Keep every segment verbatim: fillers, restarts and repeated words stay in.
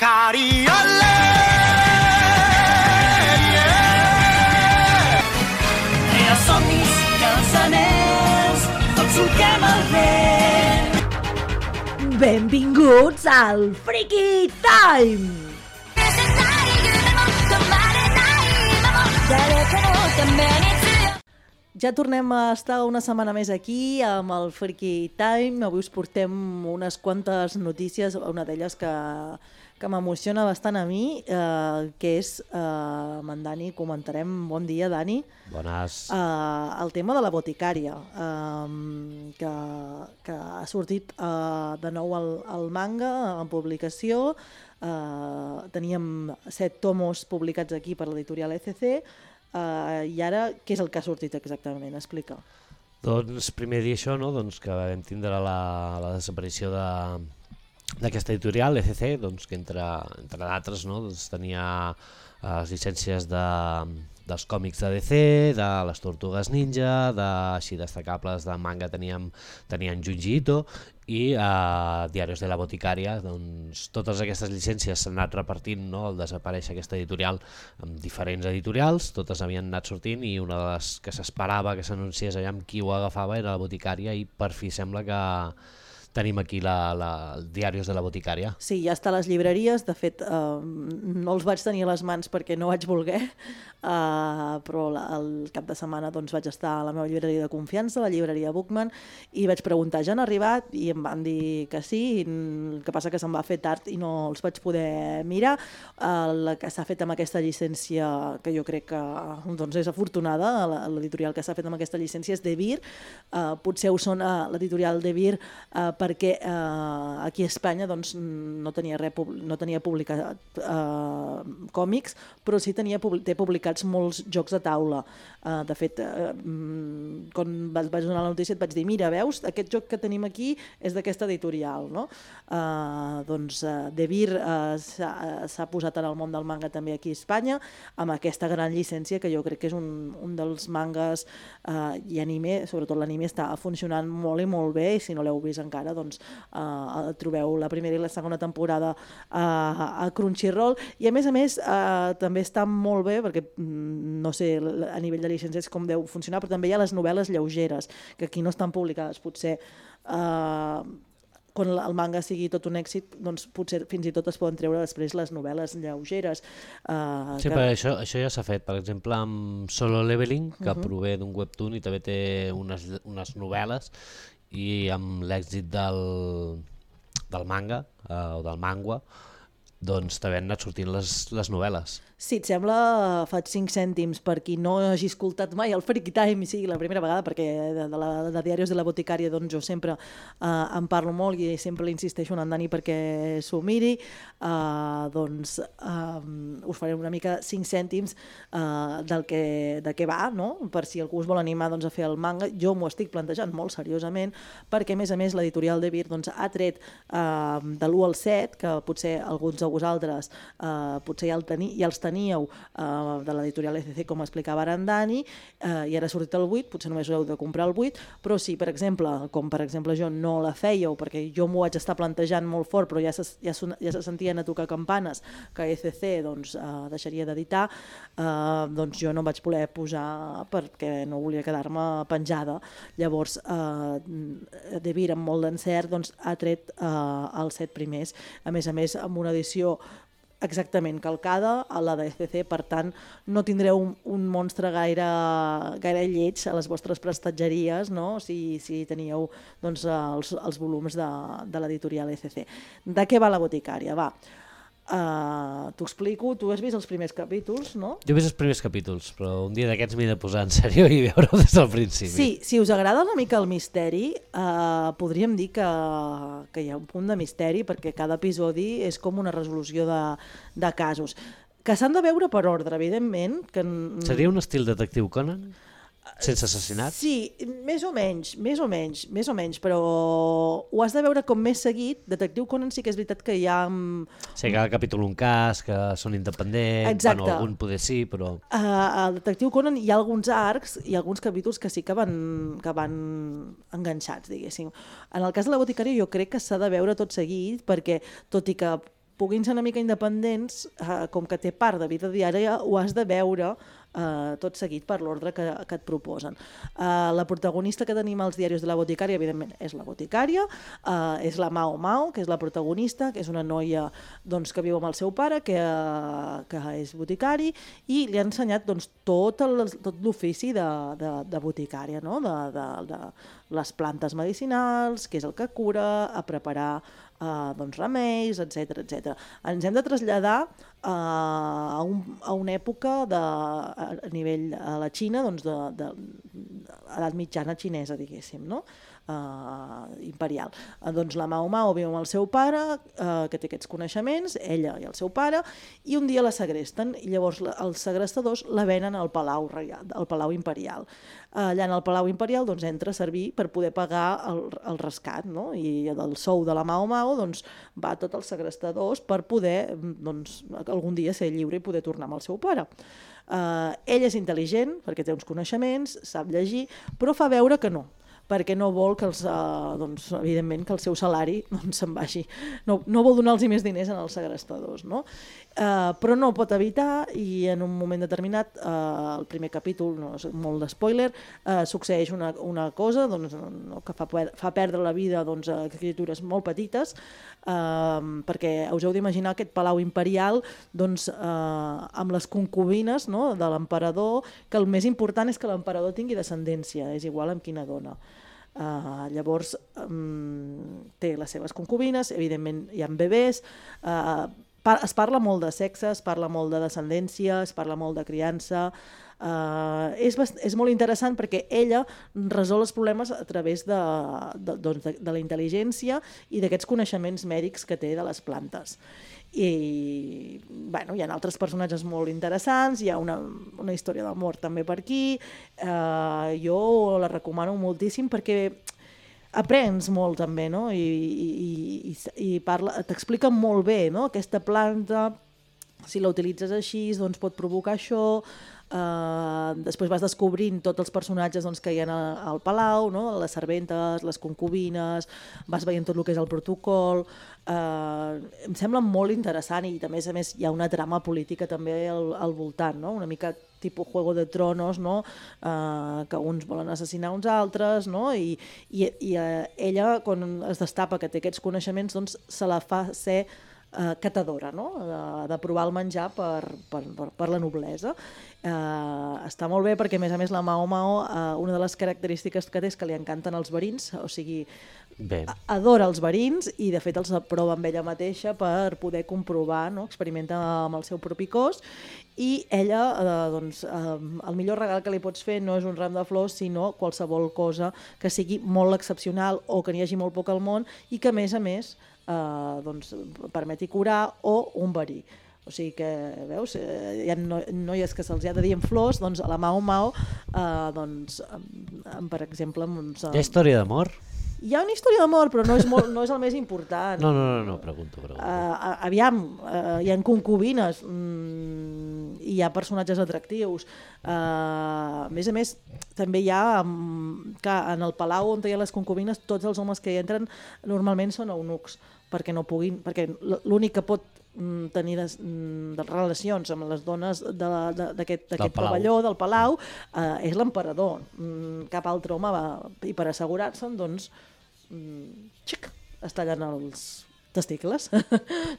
Sicari, olè! I els somnis i els anells, tots solquem el vent. Benvinguts al Freaky Time! Ja tornem a estar una setmana més aquí amb el Freaky Time. Avui us portem unes quantes notícies, una d'elles que, que m'emociona bastant a mi, eh, que és, eh, amb en Dani comentarem. Bon dia, Dani. Bones. Eh, el tema de la boticària, eh, que, que ha sortit eh, de nou el, el manga en publicació. Eh, teníem set tomos publicats aquí per l'editorial E C C. Uh, I ara, què és el que ha sortit exactament? Explica. Doncs primer dir això, no? Doncs que vam tindre la, la desaparició de, d'aquesta editorial, E C C, doncs, que entre, entre d'altres, no? Doncs tenia uh, les llicències de, dels còmics de D C, de les Tortugues Ninja, de, així destacables de manga teníem, tenien Junji Ito, i a uh, Diarios de la Boticària, doncs, totes aquestes llicències s'han anat repartint, no? Al desaparèixer aquesta editorial amb diferents editorials, totes havien anat sortint i una de les que s'esperava que s'anunciés allà amb qui ho agafava era la Boticària i per fi sembla que tenim aquí la, la, el Diarios de la Boticària. Sí, ja està a les llibreries. De fet, eh, no els vaig tenir a les mans perquè no vaig voler, eh, però la, el cap de setmana doncs, vaig estar a la meva llibreria de confiança, la llibreria Bookman, i vaig preguntar, ja han arribat? I em van dir que sí, i el que passa que se'm va fer tard i no els vaig poder mirar. El que s'ha fet amb aquesta llicència, que jo crec que doncs, és afortunada, l'editorial que s'ha fet amb aquesta llicència és De Vir. Eh, potser us sona l'editorial De Vir eh, perquè eh, aquí a Espanya doncs, no tenia res, no tenia publicat eh, còmics, però sí tenia, té publicats molts jocs de taula. Eh, de fet, eh, quan vaig donar la notícia et vaig dir, mira, veus, aquest joc que tenim aquí és d'aquesta editorial, no? Eh, doncs eh, De Vir eh, s'ha posat en el món del manga també aquí a Espanya, amb aquesta gran llicència que jo crec que és un, un dels mangas eh, i anime, sobretot l'anime està funcionant molt i molt bé, i si no l'heu vist encara doncs uh, trobeu la primera i la segona temporada uh, a Crunchyroll, i a més a més uh, també està molt bé perquè no sé a nivell de llicències com deu funcionar, però també hi ha les novel·les lleugeres que aquí no estan publicades, potser uh, quan el manga sigui tot un èxit, doncs potser fins i tot es poden treure després les novel·les lleugeres. Uh, sí, que... però això, això ja s'ha fet, per exemple amb Solo Leveling, que uh -huh. prové d'un webtoon i també té unes, unes novel·les, i amb l'èxit del, del manga eh, o del mangua, doncs també han anat sortint les, les novel·les. Si et sembla, faig cinc cèntims per qui no hagi escoltat mai el Freaky Time i sigui la primera vegada, perquè de, de, la, de Diarios de la Boticària doncs jo sempre eh, en parlo molt i sempre l'insisteixo en en Dani perquè s'ho miri, eh, doncs eh, us faré una mica cinc cèntims eh, del que, de què va, no? Per si algú us vol animar doncs, a fer el manga. Jo m'ho estic plantejant molt seriosament perquè a més a més l'editorial De Vir doncs, ha tret eh, de l'u al set, que potser alguns de vosaltres eh, potser ja, el teni, ja els teníeu teníeu uh, de l'editorial E C C, com explicava ara en Dani, uh, i ara ha sortit el vuit, potser només heu de comprar el vuit, però si, per exemple, com per exemple jo no la fèieu, perquè jo m'ho vaig estar plantejant molt fort, però ja se, ja, ja se sentien a tocar campanes que E C C doncs, uh, deixaria d'editar, uh, doncs jo no em vaig voler posar perquè no volia quedar-me penjada. Llavors, uh, De Vir, amb molt d'encert, doncs, ha tret uh, els set primers, a més a més amb una edició exactament calcada a la de E C C, per tant no tindreu un, un monstre gaire, gaire lleig a les vostres prestatgeries, no? si, si teníeu doncs, els, els volums de, de l'editorial E C C. De què va la boticària? Va, uh, t'ho explico, tu has vist els primers capítols, no? Jo he vist els primers capítols, però un dia d'aquests m'he de posar en sèrio i veure-ho des del principi. Sí, si us agrada una mica el misteri, uh, podríem dir que, que hi ha un punt de misteri, perquè cada episodi és com una resolució de, de casos, que s'han de veure per ordre, evidentment. Que... Seria un estil detectiu Conan? Sense assassinat? Sí, més o menys, més o menys, més o menys, però ho has de veure com més seguit. Detectiu Conan sí que és veritat que hi ha... Sí, cada capítol un cas, que són independents, exacte. Bueno, algun poder sí, però... Uh, al Detectiu Conan hi ha alguns arcs i alguns capítols que sí que van, que van enganxats, diguéssim. En el cas de la boticària jo crec que s'ha de veure tot seguit, perquè tot i que puguin ser una mica independents, eh, com que té part de vida diària, ho has de veure eh, tot seguit per l'ordre que, que et proposen. Eh, la protagonista que tenim als diaris de la boticària, evidentment, és la boticària, eh, és la Mao Mao, que és la protagonista, que és una noia doncs, que viu amb el seu pare, que, uh, que és boticari, i li ha ensenyat doncs, tot el, tot l'ofici de, de, de boticària, no? de, de, de les plantes medicinals, què és el que cura, a preparar Uh, doncs remeis, etcètera, etcètera. Ens hem de traslladar uh, a, un, a una època de, a nivell a la Xina, doncs de, de, de edat mitjana xinesa, diguéssim, no? Uh, imperial. Uh, doncs la Mao Mao viu amb el seu pare, uh, que té aquests coneixements, ella i el seu pare, i un dia la segresten, i llavors la, els segrestadors la venen al Palau Reial, al Palau Imperial. Uh, allà en el Palau Imperial doncs, entra a servir per poder pagar el, el rescat, no? I del sou de la Mao Mao doncs, va tot els segrestadors per poder doncs, algun dia ser lliure i poder tornar amb el seu pare. Uh, ell és intel·ligent perquè té uns coneixements, sap llegir, però fa veure que no, perquè no vol que els, uh, doncs, evidentment, que el seu salari doncs, se'n vagi. No, no vol donar-los més diners als segrestadors, no? Uh, però no ho pot evitar i en un moment determinat, uh, el primer capítol, no és molt d'espoiler, uh, succeeix una, una cosa doncs, no, que fa, fa perdre la vida doncs, a criatures molt petites, uh, perquè us heu d'imaginar aquest palau imperial doncs, uh, amb les concubines, no, de l'emperador, que el més important és que l'emperador tingui descendència, és igual amb quina dona. Uh, llavors um, té les seves concubines, evidentment hi ha bebès, uh, par es parla molt de sexe, es parla molt de descendència, es parla molt de criança, uh, és, és molt interessant perquè ella resol els problemes a través de, de, doncs de, de la intel·ligència i d'aquests coneixements mèdics que té de les plantes. I bueno, hi ha altres personatges molt interessants, hi ha una, una història d'amor també per aquí, eh, jo la recomano moltíssim perquè aprens molt també, no? I, i, i, i t'expliquen molt bé, no? Aquesta planta, si la utilitzes així, doncs pot provocar això. Uh, després vas descobrint tots els personatges doncs, que hi ha al palau, no? Les serventes, les concubines, vas veient tot el que és el protocol. Uh, em sembla molt interessant i a més a més hi ha una trama política també al, al voltant, no? Una mica tipus Juego de Tronos, no? Uh, que uns volen assassinar uns altres, no? I, i, i uh, ella quan es destapa que té aquests coneixements doncs, se la fa ser Uh, catadora, no? de, de provar el menjar per, per, per, per la noblesa. Uh, està molt bé perquè a més a més la Mao Mao uh, una de les característiques que té és que li encanten els verins, o sigui bé. Adora els verins i de fet els aprova amb ella mateixa per poder comprovar, no? Experimenta amb el seu propi cos i ella, eh, doncs, eh, el millor regal que li pots fer no és un ram de flors sinó qualsevol cosa que sigui molt excepcional o que n'hi hagi molt poc al món i que a més a més eh, doncs, permeti curar o un verí. O sigui que, veus, hi ha no, noies que se'ls ha de dir en flors, doncs a la Mao Mao, eh, doncs, per exemple... Doncs, hi ha història d'amor? Hi ha una història d'amor, però no és, molt, no és el més important. No, no, no, no pregunto. pregunto. Uh, aviam, uh, hi ha concubines, mm, hi ha personatges atractius. Uh, a més a més, també hi ha, um, que en el palau on hi ha les concubines, tots els homes que hi entren normalment són eunucs, perquè no puguin, perquè l'únic que pot tenir des, de relacions amb les dones d'aquest pavelló, del palau, eh, és l'emperador. Cap altre home va, i per assegurar-se'n, doncs, xic, es tallen els testicles,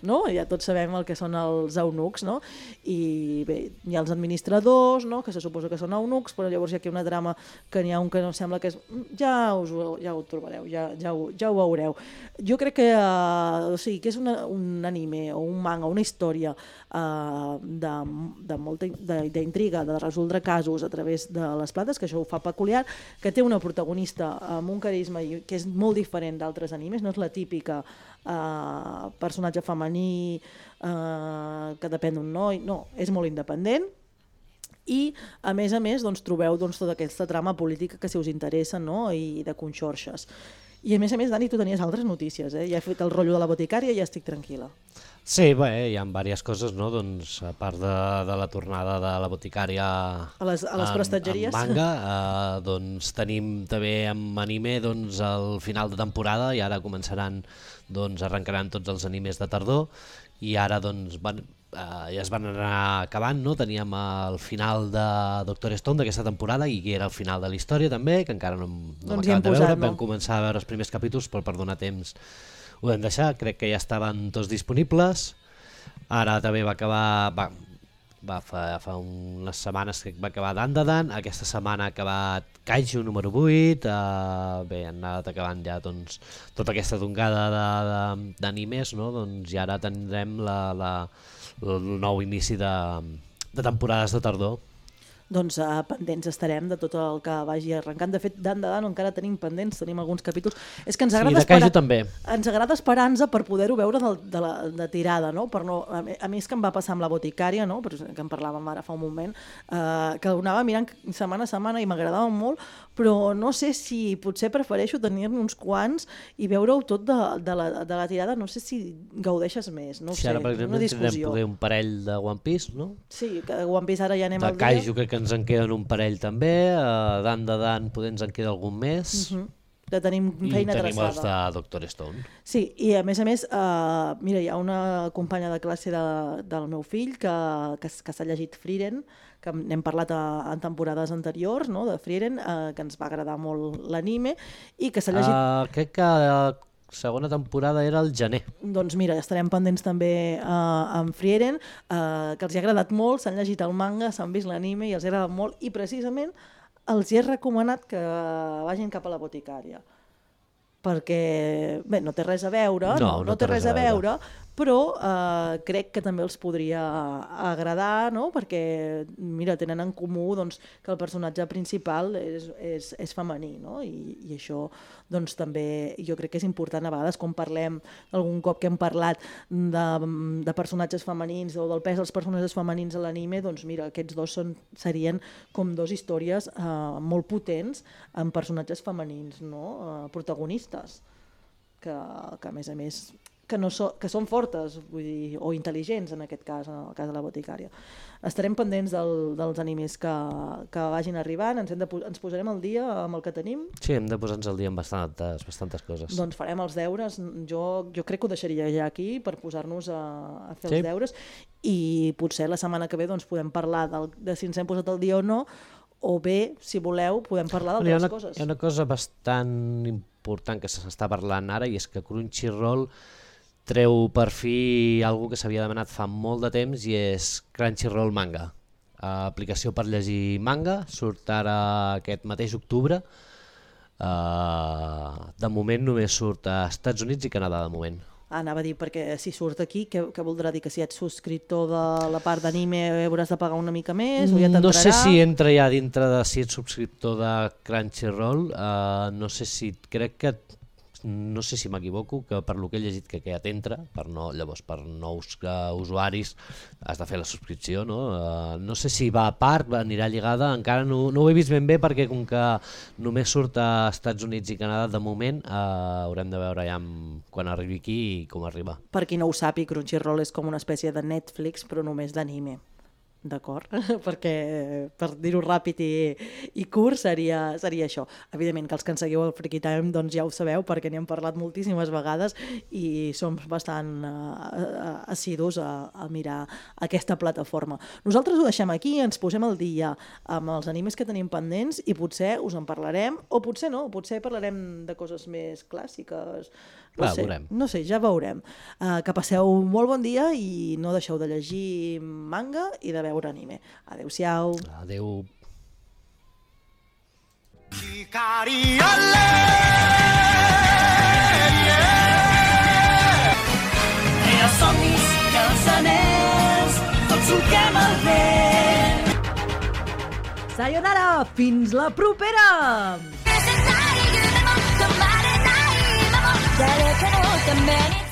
no? Ja tots sabem el que són els eunucs, no? I bé, hi ha els administradors, no? Que se suposa que són eunucs, però llavors hi ha aquí una trama que n'hi ha un que no sembla que és... Ja, us, ja ho trobareu, ja, ja, ho, ja ho veureu. Jo crec que, uh, o sigui, que és una, un anime o un manga, una història uh, de, de molta d'intriga, de resoldre casos a través de les plantes, que això ho fa peculiar, que té una protagonista amb un carisma que és molt diferent d'altres animes, no és la típica Uh, personatge femení uh, que depèn d'un noi, no, és molt independent i a més a més doncs, trobeu doncs, tota aquesta trama política que si us interessa, no? I de conxorxes. I a més a més, Dani, tu tenies altres notícies, eh? Ja he fet el rotllo de la boticària i ja estic tranquil·la. Sí, bé, hi ha diverses coses, no? Doncs, a part de, de la tornada de la boticària a les, a les en, prestatgeries. En manga, eh, doncs, tenim també amb anime doncs, el final de temporada i ara començaran, doncs, arrencaran tots els animes de tardor i ara doncs van, uh, ja es van anar acabant, no? Teníem el final de Doctor Stone d'aquesta temporada i que era el final de la història també, que encara no, no doncs hem acabat de veure, no? vam començar a veure els primers capítols però per donar temps ho vam deixar, crec que ja estaven tots disponibles. Ara també va acabar, va, va fa, fa unes setmanes que va acabar Dan de Dan, aquesta setmana ha acabat Kaiju número vuit, uh, bé, han anat acabant ja doncs, tota aquesta tongada d'animes, no? Doncs, i ara tindrem la, la, el nou inici de, de temporades de tardor. Doncs uh, pendents estarem de tot el que vagi arrencant. De fet, Dan de Dan encara tenim pendents, tenim alguns capítols. És que ens agrada, sí, esperar, també. Ens agrada esperar-nos per poder-ho veure de, de, la, de tirada, no? Per no, a, a mi és que em va passar amb la boticària, no? Que en parlàvem ara fa un moment, uh, que ho anava mirant setmana a setmana i m'agradava molt, però no sé si potser prefereixo tenir-ne uns quants i veure-ho tot de, de, la, de la tirada, no sé si gaudeixes més, no ho sí, sé, ara, per exemple, una discussió. tindrem poder un parell de One Piece, no? Sí, que One Piece ara ja anem de al Kaiju, dia. crec que ens en queden un parell també, uh, Dan de Dan poder ens en queda algun més, Uh-huh. Que tenim feina i tenim traçada. els de Doctor Stone. Sí, i a més a més, uh, mira, hi ha una companya de classe de, del meu fill que, que, que s'ha llegit Frieren, que n'hem parlat a, en temporades anteriors, no?, de Frieren, uh, que ens va agradar molt l'anime, i que s'ha llegit... Uh, crec que la segona temporada era el gener. Doncs mira, estarem pendents també uh, amb Frieren, uh, que els ha agradat molt, s'han llegit el manga, s'han vist l'anime i els ha agradat molt, i precisament els hi he recomanat que vagin cap a la boticària. Perquè, bé, no té res a veure, no, no, no té res a veure, però eh, crec que també els podria agradar, no? Perquè, mira, tenen en comú doncs, que el personatge principal és, és, és femení, no? I, i això doncs, també jo crec que és important a vegades quan parlem, algun cop que hem parlat de, de personatges femenins o del pes dels personatges femenins a l'anime, doncs mira, aquests dos són, serien com dos històries eh, molt potents amb personatges femenins, no? eh, protagonistes, que, que a més a més que, no so, que són fortes, vull dir, o intel·ligents en aquest cas, en el cas de la boticària. Estarem pendents del, dels animes que, que vagin arribant, ens, hem de, ens posarem al dia amb el que tenim. Sí, hem de posar-nos al dia amb bastantes, bastantes coses. Doncs farem els deures, jo, jo crec que ho deixaria ja aquí per posar-nos a, a fer sí. els deures i potser la setmana que ve doncs, podem parlar del, de si ens hem posat al dia o no, o bé, si voleu, podem parlar d'altres una, coses. Hi ha una cosa bastant important que s'està parlant ara i és que Crunchyroll treu per fi algo que s'havia demanat fa molt de temps i és Crunchyroll Manga. Uh, aplicació per llegir manga, surt ara aquest mateix octubre. Uh, de moment només surt a Estats Units i Canadà, de moment. Ah, anava a dir, perquè si surt aquí, què, què voldrà dir? Que si ets subscriptor de la part d'anime hauràs de pagar una mica més? O ja no sé si entra ja dintre de si ets subscriptor de Crunchyroll, uh, no sé si, crec que no sé si m'equivoco, que per lo que he llegit que aquest entra, per no, llavors per nous uh, usuaris has de fer la subscripció, no? Uh, no sé si va a part, anirà lligada, encara no, no ho he vist ben bé perquè com que només surt a Estats Units i Canadà de moment, uh, haurem de veure ja amb, quan arribi aquí i com arriba. Per qui no ho sàpiga, Crunchyroll és com una espècie de Netflix però només d'anime. D'acord? Perquè, per dir-ho ràpid i, i curt, seria, seria això. Evidentment que els que ens seguiu al Freaky Time doncs ja ho sabeu perquè n'hem parlat moltíssimes vegades i som bastant uh, assidus a, a mirar aquesta plataforma. Nosaltres ho deixem aquí, ens posem al dia amb els animes que tenim pendents i potser us en parlarem, o potser no, potser parlarem de coses més clàssiques. No Clar, sé, veurem. no sé, ja veurem. Uh, que passeu molt bon dia i no deixeu de llegir manga i de veure anime. Adéu-siau. Adéu. Hi ha somnis i els anells, tots solquem el vent. Sayonara! Fins la propera! 誰かのために